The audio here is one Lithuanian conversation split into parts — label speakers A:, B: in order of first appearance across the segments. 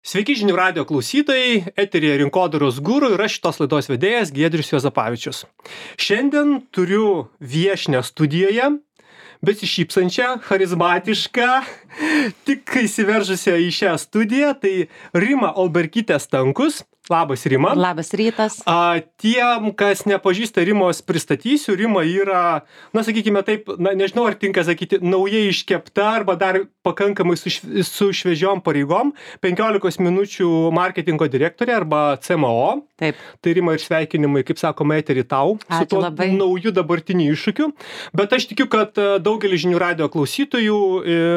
A: Sveiki žinių radio klausytojai, eteryje Rinkodaros guru ir aš šitos laidos vedėjas Giedrius Juozapavičius. Šiandien turiu viešnią studijoje, besišypsančią, charizmatišką, tik įsiveržusią į šią studiją, tai Rima Olbergytė Stankus. Labas, Rima.
B: Labas rytas.
A: Tiem, kas nepažįsta Rimos, pristatysiu. Rima yra, sakykime taip, nežinau, ar tinka sakyti, naujai iškepta arba dar pakankamai su šviežiom pareigom, 15 minučių marketingo direktorė arba CMO.
B: Taip.
A: Tai Rima ir sveikinimai, kaip sakoma, eterį tau.
B: Ačiū
A: su tuo
B: labai.
A: Nauju dabartiniu iššūkiu. Bet aš tikiu, kad daugelis žinių radio klausytojų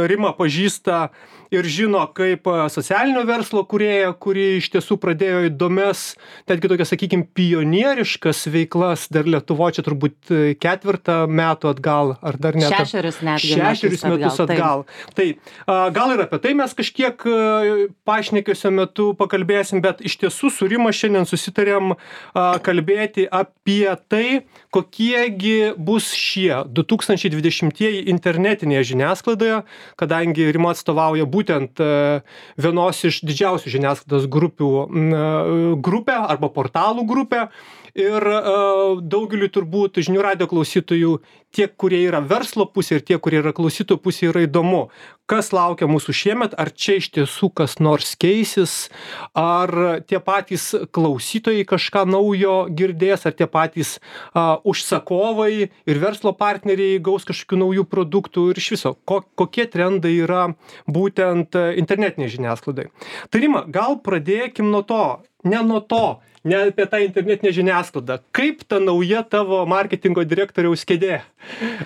A: Rima pažįsta ir žino kaip socialinio verslo kūrėja, kuri iš tiesų pradėjo įdomias, netgi tokias, sakykime, pionieriškas veiklas dar Lietuvoje, čia turbūt 4 metų atgal, ar dar net
B: 6 netgi
A: 6 metus atgal. Tai gal ir apie tai mes kažkiek pašnekesio metu pakalbėsim, bet iš tiesų su Rima šiandien susitarėm kalbėti apie tai, kokiegi bus šie 2020-ieji internetinėje žiniasklaidoje, kadangi Rima atstovauja būtent vienos iš didžiausių žiniasklaidos grupę arba portalų grupę ir daugeliu turbūt žinių radio klausytojų tiek, kurie yra verslo pusė ir tie, kurie yra klausytojų pusė, yra įdomu, kas laukia mūsų šiemet, ar čia iš tiesų kas nors keisis, ar tie patys klausytojai kažką naujo girdės, ar tie patys užsakovai ir verslo partneriai gaus kažkokių naujų produktų ir iš viso, kokie trendai yra būtent internetinė žiniasklaidai. Tai Rima, gal pradėkim nuo to, ne apie tą internetinę žiniasklaidą. Kaip ta nauja tavo marketingo direktoriaus kėdė?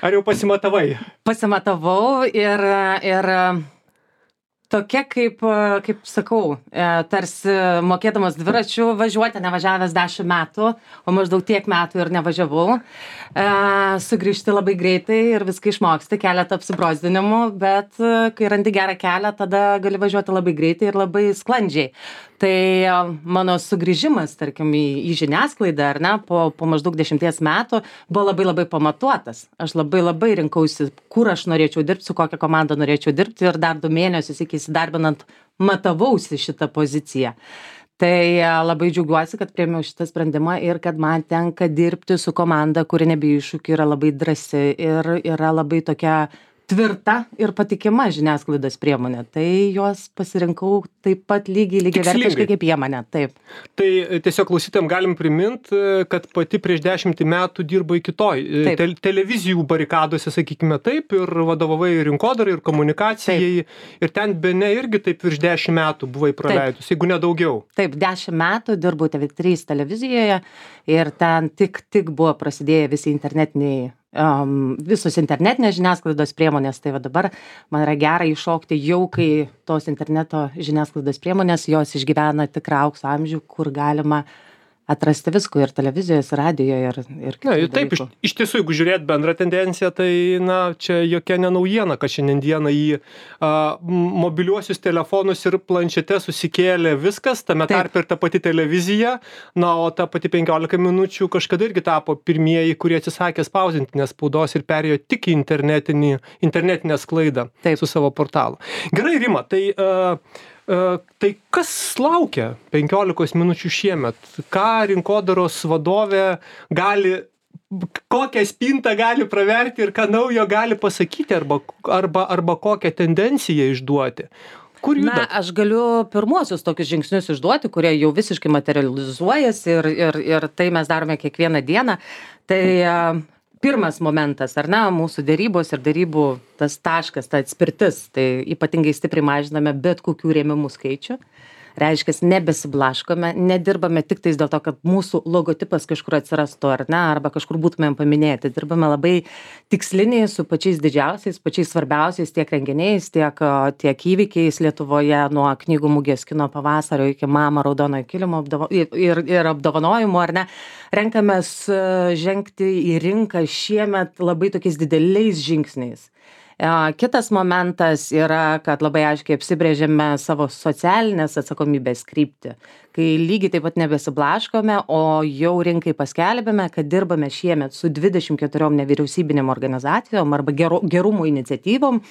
A: Ar jau pasimatavai?
B: Pasimatavau ir tokia, kaip sakau, tarsi mokėdamas dviračių važiuoti, nevažiavęs 10 metų, o maždaug tiek metų ir nevažiavau. Sugrįžti labai greitai ir viską išmoksti, keletą apsibrozdinimų, bet kai randi gerą kelią, tada gali važiuoti labai greitai ir labai sklandžiai. Tai mano sugrįžimas, tarkim, į žiniasklaidą, ar ne, po maždaug 10 metų buvo labai pamatuotas. Aš labai rinkausi, kur aš norėčiau dirbti, su kokia komanda norėčiau dirbti ir dar 2 mėnesius iki įsidarbinant matavausi šitą poziciją. Tai labai džiaugiuosi, kad priėmiau šitą sprendimą ir kad man tenka dirbti su komanda, kuri nebijo iššūkių, yra labai drąsi ir yra labai tokia tvirta ir patikima žiniasklaidos priemonė. Tai juos pasirinkau taip pat lygiavertiškai kaip jie mane. Taip.
A: Tai tiesiog klausytėm galim primint, kad pati prieš 10 metų dirbai kitoj televizijų barikadose, sakykime taip, ir vadovavai rinkodarai ir komunikacijai. Taip. Ir ten bene irgi taip virš 10 metų buvai praleidus, jeigu ne daugiau.
B: Taip, 10 metų dirbau TV3 televizijoje ir ten tik buvo prasidėję visi internetiniai visos internetinės žiniasklaidos priemonės, tai va dabar man yra gera iššokti jau, kai tos interneto žiniasklaidos priemonės, jos išgyvena tikrą aukso amžių, kur galima atrasti visko ir televizijos, ir radijoje ir kitų dalykų.
A: Taip, iš tiesų, jeigu žiūrėt bendrą tendenciją, tai čia jokia nenaujiena, kad šiandieną į mobiliuosius telefonus ir planšetes susikėlė viskas, tame tarpe ir ta pati televizija, o ta pati 15 minučių kažkada irgi tapo pirmieji, kurie atsisakė spausdintinės spaudos ir perėjo tik į internetinę sklaidą su savo portalu. Gerai, Rima, tai kas laukia 15 minučių šiemet? Ką rinkodaros vadovė kokią spintą gali praverti ir ką naujo gali pasakyti arba kokią tendenciją išduoti? Kur juda?
B: Aš galiu pirmuosius tokius žingsnius išduoti, kurie jau visiškai materializuojasi ir tai mes darome kiekvieną dieną. Tai pirmas momentas, ar ne, mūsų derybos ir derybų tas taškas, ta atspirtis, tai ypatingai stipriai mažiname bet kokių rėmimų skaičių. Reiškia, nebesiblaškome, nedirbame tik tais dėl to, kad mūsų logotipas kažkur atsirastų, ar ne, arba kažkur būtumėm paminėti. Dirbame labai tiksliniai su pačiais didžiausiais, pačiais svarbiausiais tiek renginiais, tiek įvykiais Lietuvoje, nuo knygų mugės kino pavasario iki Mama raudonojo kilimo ir apdovanojimų, ar ne. Renkamės žengti į rinką šiemet labai tokiais dideliais žingsniais. Kitas momentas yra, kad labai aiškiai apsibrėžėme savo socialinės atsakomybės kryptį, kai lygiai taip pat nebesiblaškome, o jau rinkai paskelbėme, kad dirbame šiemet su 24 nevyriausybinėm organizacijom arba gerumo iniciatyvom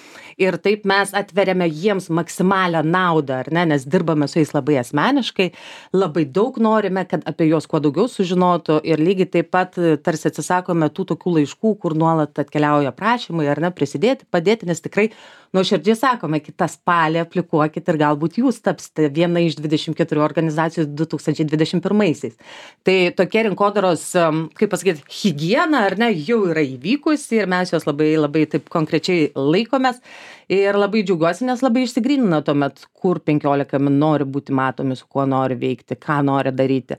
B: ir taip mes atveriame jiems maksimalią naudą, ar ne, nes dirbame su jais labai asmeniškai, labai daug norime, kad apie juos kuo daugiau sužinotų ir lygiai taip pat tarsi atsisakome tų tokių laiškų, kur nuolat atkeliauja prašymai, ar ne, prisidėti, padėti, nes tikrai nuoširdžiai sakome, kitą spalį aplikuokit ir galbūt jūs tapsite viena iš 24 organizacijų 2021-aisiais. Tai tokie rinkodaros, kaip pasakyti, higiena, ar ne, jau yra įvykusi ir mes jos labai, labai taip konkrečiai laikomės ir labai džiaugiuosi, nes labai išsigrynina tuomet, kur 15 min nori būti matomi, su kuo nori veikti, ką nori daryti.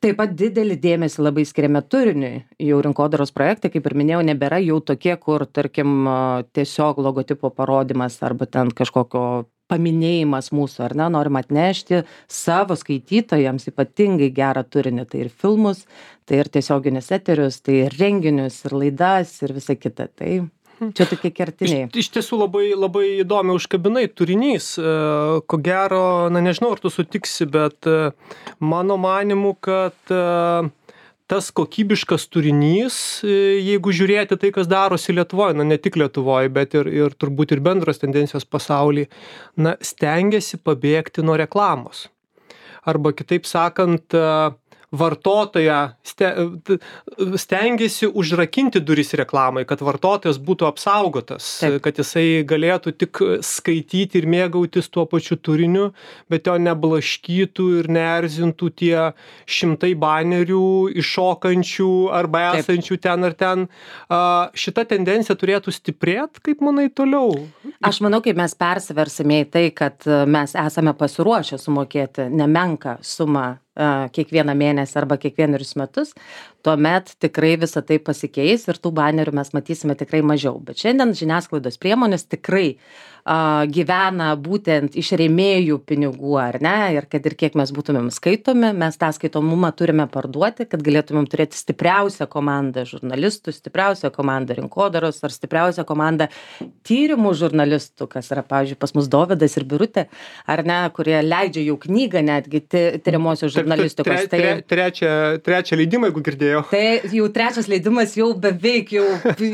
B: Taip pat didelį dėmesį labai skiriame turiniui. Jau rinkodaros projektai, kaip ir minėjau, nebėra jau tokie, kur, tarkim, tiesiog logotipo parodimas arba ten kažkokio paminėjimas mūsų, ar ne, norim atnešti savo skaitytojams ypatingai gerą turinį. Tai ir filmus, tai ir tiesioginius eterius, tai ir renginius, ir laidas, ir visa kita. Tai čia tokie kertiniai.
A: Iš tiesų labai, labai įdomi užkabinai turinys. Ko gero, nežinau, ar tu sutiksi, bet mano manimu, kad tas kokybiškas turinys, jeigu žiūrėti tai, kas darosi Lietuvoje, ne tik Lietuvoje, bet ir turbūt ir bendros tendencijos pasaulyje, stengiasi pabėgti nuo reklamos. Arba kitaip sakant, vartotoją stengiasi užrakinti duris reklamai, kad vartotojas būtų apsaugotas, kad jisai galėtų tik skaityti ir mėgautis tuo pačiu turiniu, bet jo neblaškytų ir neerzintų tie šimtai banerių iššokančių arba esančių ten ar ten. Šita tendencija turėtų stiprėti, kaip manai toliau?
B: Aš manau, kaip mes persiversime į tai, kad mes esame pasiruošę sumokėti nemenką sumą kiekvieną mėnesį arba kiekvienerius metus, tuomet tikrai visą tai pasikeis ir tų banerių mes matysime tikrai mažiau. Bet šiandien žiniasklaidos priemonės tikrai gyvena būtent iš rėmėjų pinigų, ar ne, ir kad ir kiek mes būtumėm skaitomi, mes tą skaitomumą turime parduoti, kad galėtumėm turėti stipriausią komandą žurnalistų, stipriausią komandą rinkodaros ar stipriausią komandą tyrimų žurnalistų, kas yra, pavyzdžiui, pas mus Dovydas ir Birutė, ar ne, kurie leidžia jau knygą netgi tyriamosios žurnalistikos.
A: Trečią leidimą, jeigu girdėjau.
B: Tai jau trečias leidimas jau beveik jau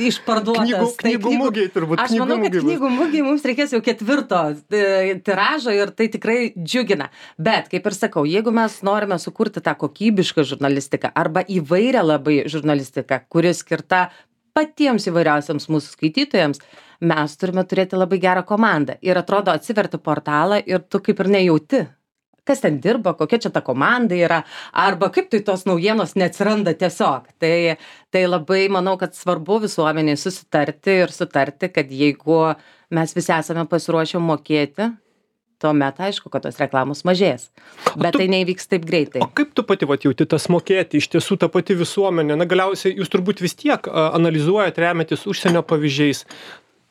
B: išparduotas.
A: Knygų mugiai turbūt.
B: Aš manau, kad knygų mugiai mums reikės jau 4 tiražo ir tai tikrai džiugina. Bet, kaip ir sakau, jeigu mes norime sukurti tą kokybišką žurnalistiką arba įvairią labai žurnalistiką, kuri skirta patiems įvairiausiams mūsų skaitytojams, mes turime turėti labai gerą komandą. Ir atrodo, atsiverti portalą ir tu kaip ir nejauti, kas ten dirba, kokia čia ta komanda yra, arba kaip tai tos naujienos neatsiranda tiesiog. Tai labai manau, kad svarbu visuomeniai susitarti ir sutarti, kad jeigu mes visi esame pasiruošę mokėti, tuomet aišku, kad tos reklamos mažės. Bet tai neįvyks taip greitai.
A: O kaip tu pati jauti tas mokėti, iš tiesų ta pati visuomenė? Galiausiai jūs turbūt vis tiek analizuojat, remiantis užsienio pavyzdžiais.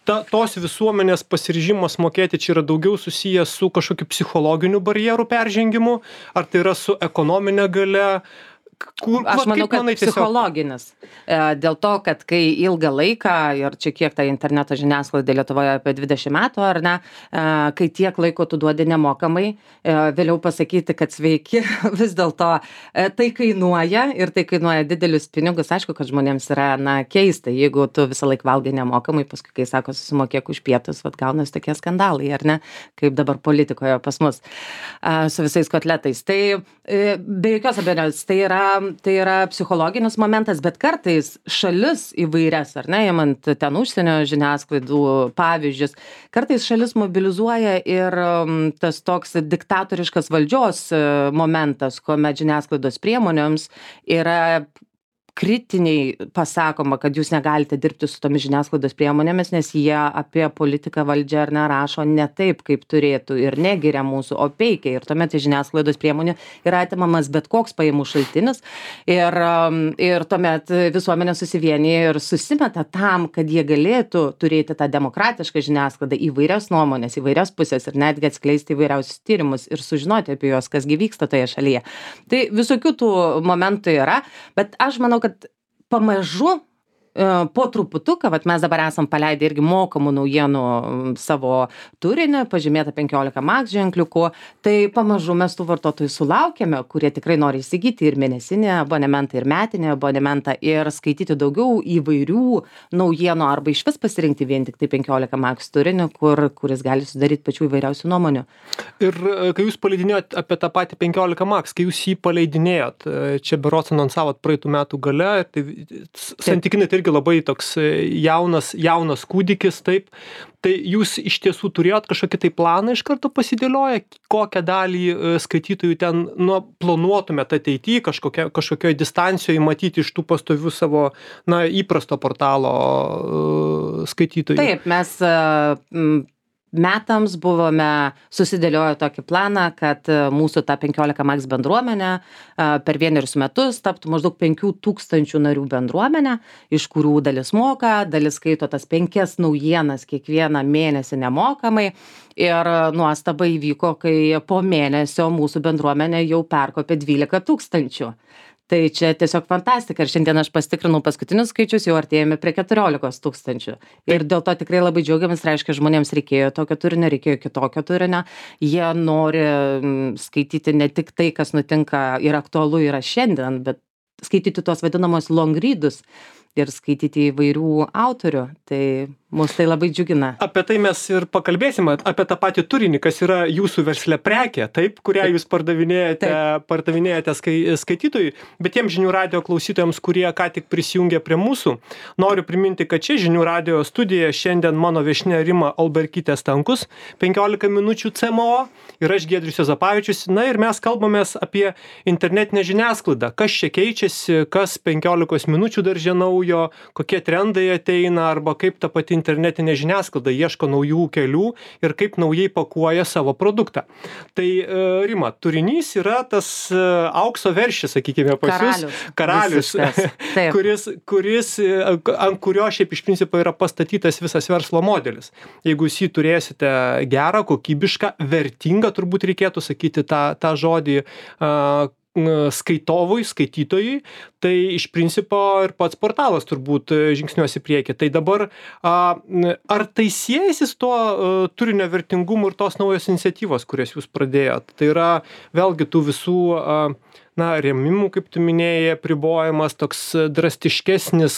A: Tos visuomenės pasiryžimas mokėti čia yra daugiau susijęs su kažkokiu psichologiniu barjerų peržengimu, ar tai yra su ekonominė galia?
B: Aš manau, kad psichologinis. Dėl to, kad kai ilgą laiką, ir čia kiek ta interneto žiniasklaida Lietuvoje apie 20 metų, ar ne, kai tiek laiko tu duodi nemokamai, vėliau pasakyti, kad sveiki, vis dėlto tai kainuoja ir tai kainuoja didelius pinigus. Aišku, kad žmonėms yra keista, jeigu tu visą laiką valgai nemokamai, paskui, kai sako, susimokėk už pietus, gaunasi tokie skandalai, ar ne, kaip dabar politikoje pas mus su visais kotletais. Tai be jokios abejonės, tai yra psichologinis momentas, bet kartais šalis įvairias, ar ne, imant ten užsienio žiniasklaidų pavyzdžius, kartais šalis mobilizuoja ir tas toks diktatoriškas valdžios momentas, kuomet žiniasklaidos priemonėms yra kritiniai pasakoma, kad jūs negalite dirbti su tomis žiniasklaidos priemonėmis, nes jie apie politiką valdžią ar nerašo ne taip, kaip turėtų ir negiria mūsų, o peikia. Ir tuomet iš žiniasklaidos priemonių yra atimamas bet koks pajamų šaltinis ir tuomet visuomenė susivienyje ir susimeta tam, kad jie galėtų turėti tą demokratišką žiniasklaidą, įvairias nuomonės, įvairias pusės ir netgi atskleisti įvairiausius tyrimus ir sužinoti apie juos, kas gi vyksta toje šalyje. Tai visokių tų momentų yra, bet aš manau, kad pamažu po truputuką, vat mes dabar esam paleidę irgi mokamų naujienų savo turinį, pažymėta 15 max ženkliuku, tai pamažu mes tų vartotojų sulaukėme, kurie tikrai nori įsigyti ir mėnesinį abonementą, ir metinį abonementą, ir skaityti daugiau įvairių naujienų, arba išvis pasirinkti vien tik tai 15 max turinį, kuris gali sudaryti pačių įvairiausių nuomonių.
A: Ir kai jūs paleidinėjot apie tą patį 15 max, kai jūs jį paleidinėjot, čia berods anonsavot praeitų metų gale, tai santykinai tai irgi labai toks jaunas kūdikis, taip. Tai jūs iš tiesų turėjot kažkokį tai planą iš karto pasidėlioję, kokią dalį skaitytojų ten planuotumėt ateityje, kažkokioje distancijoje matyti iš tų pastovių savo įprasto portalo skaitytojų?
B: Taip, mes metams buvome susidėlioję tokį planą, kad mūsų ta 15 max bendruomenė per 1 metus taptų maždaug 5000 narių bendruomenė, iš kurių dalis moka, dalis skaito tas 5 naujienas kiekvieną mėnesį nemokamai. Ir nuostaba įvyko, kai po mėnesio mūsų bendruomenė jau perkopė 12 000. Tai čia tiesiog fantastika. Ir šiandien aš pasitikrinau paskutinius skaičius, jau artėjame prie 14 000. Ir dėl to tikrai labai džiaugiamės, reiškia, žmonėms reikėjo tokio turinio, reikėjo kitokio turinio. Jie nori skaityti ne tik tai, kas nutinka ir aktualu yra šiandien, bet skaityti tuos vadinamos long readus ir skaityti įvairių autorių. Tai mus tai labai džiugina.
A: Apie tai mes ir pakalbėsime, apie tą patį turinį, kas yra jūsų versle prekė, taip, kurią jūs pardavinėjate skaitytojui, bet tiems Žinių radijo klausytojams, kurie ką tik prisijungė prie mūsų, noriu priminti, kad čia Žinių radijo studijoje šiandien mano viešnia Rima Alberkytė Stankus, 15 minučių CMO ir aš Giedrius Juozapavičius. Na ir mes kalbamės apie internetinę žiniasklaidą, kas čia keičiasi, kas 15 minučių darže naujo, kokie trendai ateina arba kaip ta pati internetinė žiniasklaida ieško naujų kelių ir kaip naujai pakuoja savo produktą. Tai Rima, turinys yra tas aukso veršis, sakykime, pas jūs. Karalius. kuris ant kurio šiaip iš principo yra pastatytas visas verslo modelis. Jeigu jūs jį turėsite gerą, kokybišką, vertingą, turbūt reikėtų sakyti tą žodį skaitytojui, tai iš principo ir pats portalas turbūt žingsniuos į priekį. Tai dabar, ar tai siejasi su tuo turinio vertingumu ir tos naujos iniciatyvos, kurias jūs pradėjot? Tai yra vėlgi tų visų rėmimų, kaip tu minėjai, apribojimas, toks drastiškesnis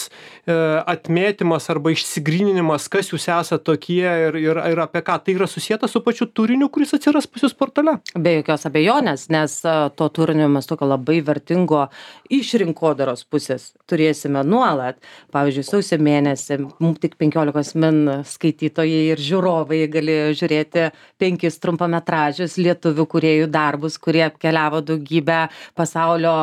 A: atmėtymas arba išsigryninimas, kas jūs esate tokie ir apie ką. Tai yra susieta su pačiu turiniu, kuris atsiras pas jūs portale?
B: Be jokios abejonės, nes to turinio mes tokio labai vertingo iš rinkodaros pusės turėsime nuolat. Pavyzdžiui, sausio mėnesį tik 15 min skaitytojai ir žiūrovai gali žiūrėti 5 trumpametražius lietuvių kūrėjų darbus, kurie apkeliavo daugybę pasaulio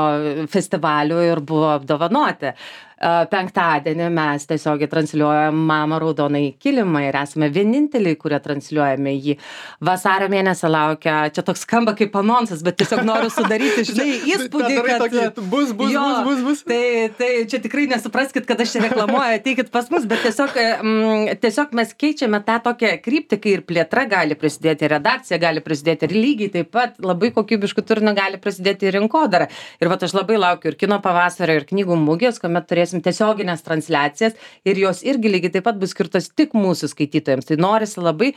B: festivalių ir buvo apdovanoti. Penktadienį mes tiesiogiai transliuojam Mama raudonąjį kilimą ir esame vieninteliai, kurie transliuojame jį. Vasario mėnesį laukia, čia toks skamba kaip anonsas, bet tiesiog noriu sudaryti, įspūdį, kad
A: bus.
B: Tai čia tikrai nesupraskit, kad aš čia reklamuoju, ateikit pas mus, bet tiesiog mes keičiame tą tokią kryptį, kai ir plėtra gali prisidėti, ir redakcija gali prisidėti, ir lygiai taip pat labai kokybiškų turinio gali prisidėti ir rinkodara. Ir aš labai laukiu ir kino pavasario, ir knygų mugės, kuomet turėsim tiesioginės transliacijas ir jos irgi lygiai taip pat bus skirtos tik mūsų skaitytojams. Tai norisi labai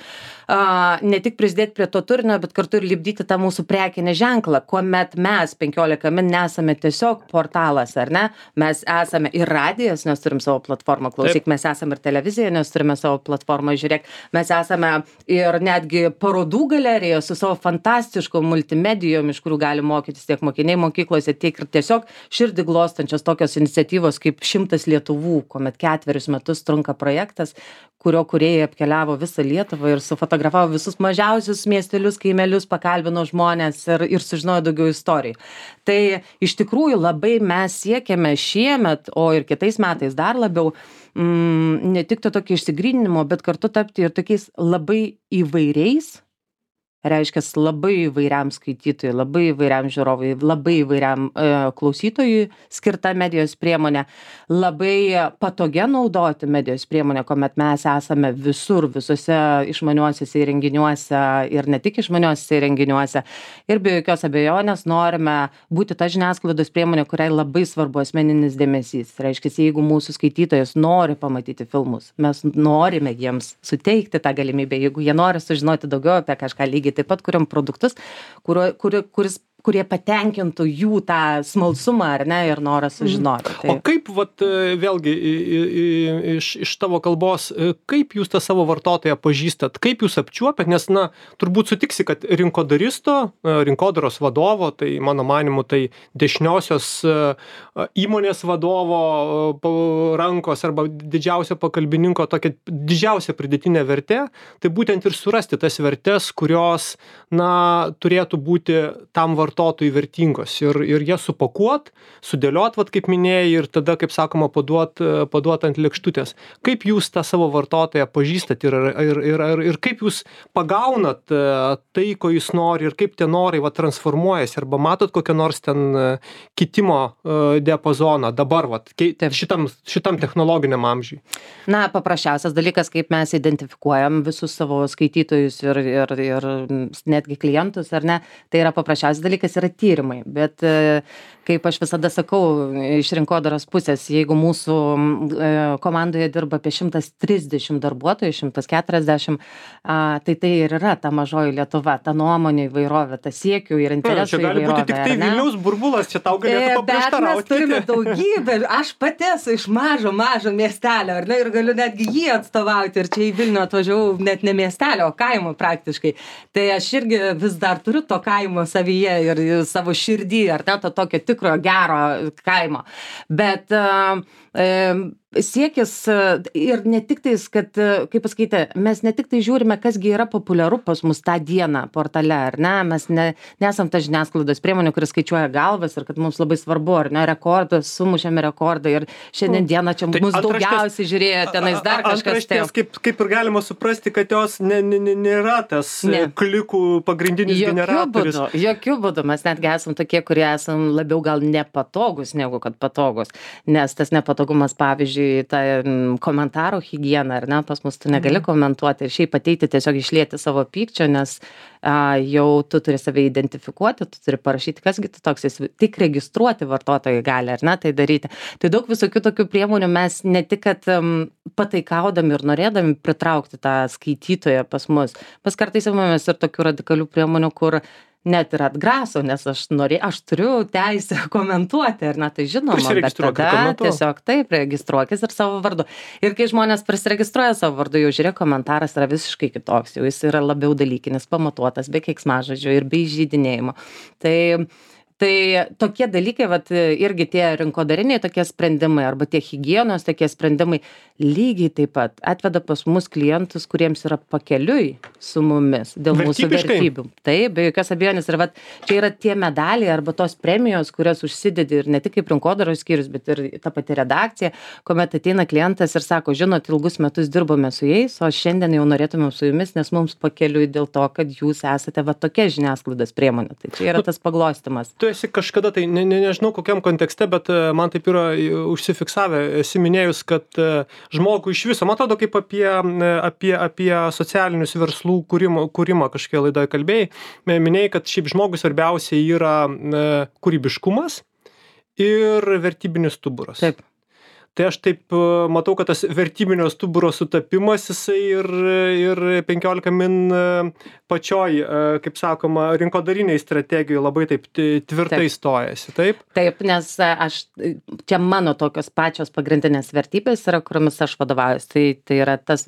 B: ne tik prisidėti prie to turinio, bet kartu ir lipdyti tą mūsų prekinę ženklą, kuomet mes 15 min nesame tiesiog portalas, ar ne? Mes esame ir radijas, nes turim savo platformą, klausyk, mes esame ir televizija, nes turime savo platformą, žiūrėk, mes esame ir netgi parodų galerija su savo fantastiškom multimedijom, iš kurių gali mokytis tiek mokiniai mokyklose, tiek ir tiesiog širdį glostančios tokios iniciatyvos kaip 100 Lietuvų, kuomet 4 metus trunka projektas, kurio kūrėjai apkeliavo visą Lietuvą ir sufotografavo visus mažiausius miestelius, kaimelius, pakalbino žmonės ir sužinojo daugiau istorijų. Tai iš tikrųjų labai mes siekiame šiemet, o ir kitais metais dar labiau, ne tik to tokio išsigryninimo, bet kartu tapti ir tokiais labai įvairiais reiškia labai įvairiam skaitytojui, labai įvairiam žiūrovui, labai įvairiam klausytojui skirta medijos priemonė, labai patogia naudoti medijos priemonę, kuomet mes esame visur, visose išmaniuosiuose įrenginiuose ir ne tik išmaniuosiuose įrenginiuose. Ir be jokios abejonės norime būti ta žiniasklaidos priemonė, kuriai labai svarbu asmeninis dėmesys. Reiškia, jeigu mūsų skaitytojas nori pamatyti filmus, mes norime jiems suteikti tą galimybę, jeigu jie nori sužinoti daugiau apie kažką, lygiai taip pat kuriam produktus, kurie patenkintų jų tą smalsumą, ar ne, ir norą sužinoti.
A: O kaip, vat, vėlgi, iš tavo kalbos, kaip jūs tą savo vartotoją pažįstat, kaip jūs apčiuopiat, nes, turbūt sutiksi, kad rinkodaros vadovo, tai mano manimu, tai dešiniosios įmonės vadovo rankos arba didžiausio pakalbininko tokia didžiausia pridėtinė vertė, tai būtent ir surasti tas vertės, kurios, turėtų būti tam vartotojui vertingos ir jas supakuot, sudėliot, kaip minėjai, ir tada, kaip sakoma, paduot ant lėkštutės. Kaip jūs tą savo vartotoją pažįstat ir kaip jūs pagaunat tai, ko jūs nori ir kaip tie norai transformuojasi, arba matot kokią nors ten kitimo diapazoną dabar šitam technologiniam amžiui?
B: Paprasčiausias dalykas, kaip mes identifikuojam visus savo skaitytojus ir netgi klientus, ar ne, tai yra paprasčiausias dalykas, yra tyrimai, bet kaip aš visada sakau, iš rinkodaros pusės, jeigu mūsų komandoje dirba apie 130 darbuotojų, 140, tai ir yra ta mažoji Lietuva, ta nuomonė įvairovė, ta siekių ir interesų įvairovė.
A: Čia gali būti tik tai Vilniaus burbulas, čia tau galėtų paprieštarauti.
B: Bet mes turime daugybę, aš pati esu iš mažo miestelio, ar ne, ir galiu netgi jį atstovauti, ir čia į Vilnių atvažiavau net ne miestelio, o kaimo praktiškai. Tai aš irgi vis dar turiu to kaimo savyje ir savo širdį, ar ne, to tokio tikro gero kaimo. Bet siekis ir ne tik tais, kad, kaip pasakyti, mes ne tik tai žiūrime, kasgi yra populiaru pas mus tą dieną portale, ar ne, mes nesam ta žiniasklaidos priemonė, kuris skaičiuoja galvas ir kad mums labai svarbu, ar ne, rekordas, sumušėme rekordą ir šiandien dieną čia mus daugiausiai žiūrėjo, tenais dar kažkas.
A: Kaip ir galima suprasti, kad jos nėra tas klikų pagrindinis generatorius.
B: Jokių būdų, mes netgi esam tokie, kurie esam labiau gal nepatogus negu kad patogus, nes tas nepatogumas, pavyzdžiui, ta komentarų higiena, ar ne, pas mus tu negali komentuoti ir šiaip ateiti tiesiog išlieti savo pykčio, nes jau tu turi save identifikuoti, tu turi parašyti, kasgi tu toks esi, tik registruoti vartotojai gali, ar ne, tai daryti. Tai daug visokių tokių priemonių mes ne tik, kad pataikaudami ir norėdami pritraukti tą skaitytoją pas mus, mes kartais imamės ir tokių radikalių priemonių, kur net ir atgraso, nes aš turiu teisę komentuoti, ar ne, tai žinoma, bet tada tiesiog taip, registruokis ir savo vardu. Ir kai žmonės prisiregistruoja savo vardu, jau žiūrėk, komentaras yra visiškai kitoks, jau jis yra labiau dalykinis, pamatuotas, be keiksmažodžių ir be įžeidinėjimo. Tai tokie dalykai, irgi tie rinkodariniai tokie sprendimai arba tie higienos tokie sprendimai lygiai taip pat atveda pas mus klientus, kuriems yra pakeliui su mumis dėl mūsų vertybių. Taip, be jokios abejonės. Ir čia yra tie medaliai arba tos premijos, kurias užsidedi ir ne tik kaip rinkodaros skyrius, bet ir ta pati redakcija, kuomet ateina klientas ir sako, žinot, ilgus metus dirbome su jais, o šiandien jau norėtumėm su jumis, nes mums pakeliui dėl to, kad jūs esate tokia žiniasklaidos priemonė. Tai čia yra tas paglostymas.
A: Esi kažkada, tai nežinau kokiam kontekste, bet man taip yra užsifiksavę, esi minėjus, kad žmogų iš viso, man atrodo, kaip apie socialinius verslų kūrimą kažkokia laidoje kalbėjai, minėjai, kad šiaip žmogui svarbiausia yra kūrybiškumas ir vertybinis stuburas.
B: Taip.
A: Tai aš taip matau, kad tas vertybinio stuburo sutapimas, jisai ir 15 min pačioj, kaip sakoma, rinkodariniai strategijoje labai taip tvirtai stojasi, taip?
B: Taip, nes čia mano tokios pačios pagrindinės vertybės yra, kuriomis aš vadovaujuosi. Tai yra tas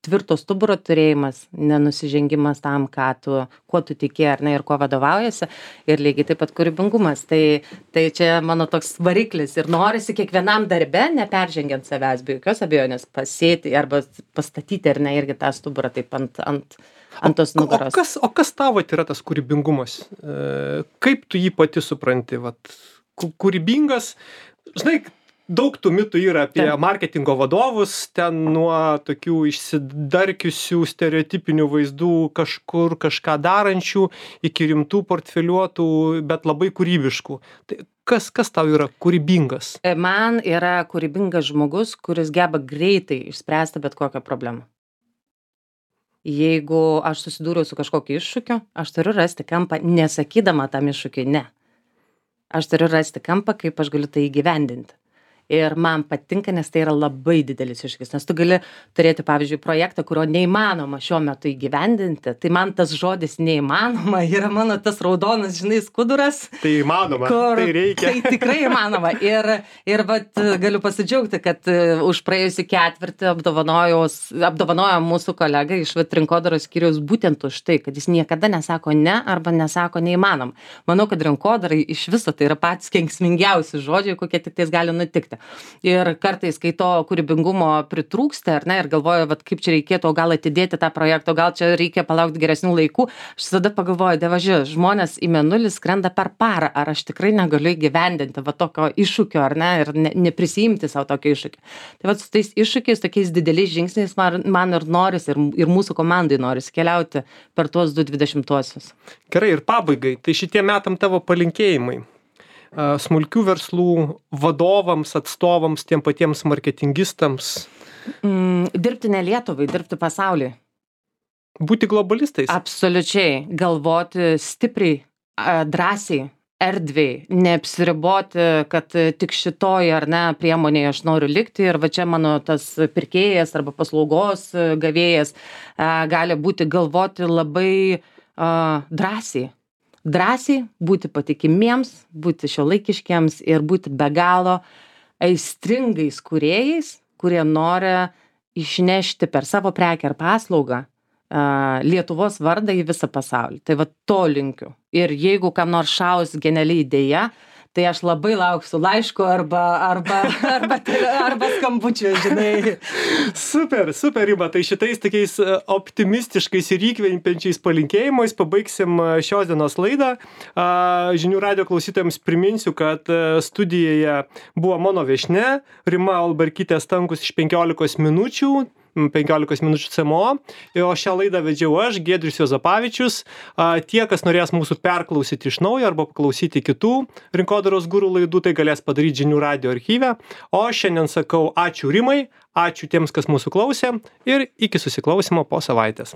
B: tvirto stuburo turėjimas, nenusižengimas tam, kuo tu tiki, ar ne, ir kuo vadovaujasi, ir lygiai taip pat kūrybingumas. Tai čia mano toks variklis ir norisi kiekvienam darbe, neperžengiant savęs, be jokios abejonės, pasėti arba pastatyti, ar ne, irgi tą stuburą taip ant tos nugaros.
A: O kas tavo yra tas kūrybingumas? Kaip tu jį pati supranti? Kūrybingas, žinai, daug tų mitų yra apie marketingo vadovus, ten nuo tokių išsidarkiusių stereotipinių vaizdų kažkur kažką darančių iki rimtų portfeliuotų, bet labai kūrybiškų. Tai kas tau yra kūrybingas?
B: Man yra kūrybingas žmogus, kuris geba greitai išspręsti bet kokią problemą. Jeigu aš susidūriau su kažkokiu iššūkiu, aš turiu rasti kampą, nesakydama tam iššūkiui ne. Aš turiu rasti kampą, kaip aš galiu tai įgyvendinti. Ir man patinka, nes tai yra labai didelis iššūkis, nes tu gali turėti, pavyzdžiui, projektą, kurio neįmanoma šiuo metu įgyvendinti. Tai man tas žodis neįmanoma yra mano tas raudonas, žinai, skuduras.
A: Tai įmanoma, tai reikia.
B: Tai tikrai įmanoma. Ir vat, galiu pasidžiaugti, kad už praėjusį ketvirtį apdovanojo mūsų kolega iš rinkodaros skyriaus būtent už tai, kad jis niekada nesako ne arba nesako neįmanoma. Manau, kad rinkodarai iš viso tai yra patys kenksmingiausi žodžiai, kokie tik tais gali nutikti. Ir kartais, kai to kūrybingumo pritrūksta, ar ne, ir galvoju, vat, kaip čia reikėtų, o gal atidėti tą projektą, gal čia reikia palaukti geresnių laikų, aš tada pagalvoju, dievaži, žmonės į mėnulį skrenda per parą, ar aš tikrai negaliu įgyvendinti va tokio iššūkio, ar ne, ir neprisiimti savo tokio iššūkio. Tai va su tais iššūkiais, tokiais dideliais žingsniais man ir norisi, ir mūsų komandai norisi keliauti per tuos 2020-uosius.
A: Gerai, ir pabaigai, tai šitie metam tavo palinkėjimai smulkių verslų vadovams, atstovams, tiem patiems marketingistams?
B: Dirbti ne Lietuvai, dirbti pasauliui.
A: Būti globalistais?
B: Absoliučiai. Galvoti stipriai, drąsiai, erdviai, neapsiriboti, kad tik šitoj ar ne priemonėje aš noriu likti ir va čia mano tas pirkėjas arba paslaugos gavėjas gali būti galvoti labai drąsiai. Drąsiai būti patikimiems, būti šiuolaikiškiams ir būti be galo aistringais kūrėjais, kurie nori išnešti per savo prekę ar paslaugą Lietuvos vardą į visą pasaulį. Tai va to linkiu. Ir jeigu kam nors šaus geniali idėja, tai aš labai lauksiu laiško arba skambučio, žinai.
A: Super, Rima. Tai šitais tokiais optimistiškais ir įkvepiančiais palinkėjimais pabaigsim šios dienos laidą. Žinių radijo klausytojams priminsiu, kad studijoje buvo mano viešnia Rima Alberkytė Stankus iš 15 minučių. 15 minučių CMO, o šią laidą vedžiau aš, Giedrius Juozapavičius. Tie, kas norės mūsų perklausyti iš naujo arba paklausyti kitų rinkodaros guru laidų, tai galės padaryti Žinių radijo archyve. O šiandien sakau ačiū Rimai, ačiū tiems, kas mūsų klausė ir iki susiklausimo po savaitės.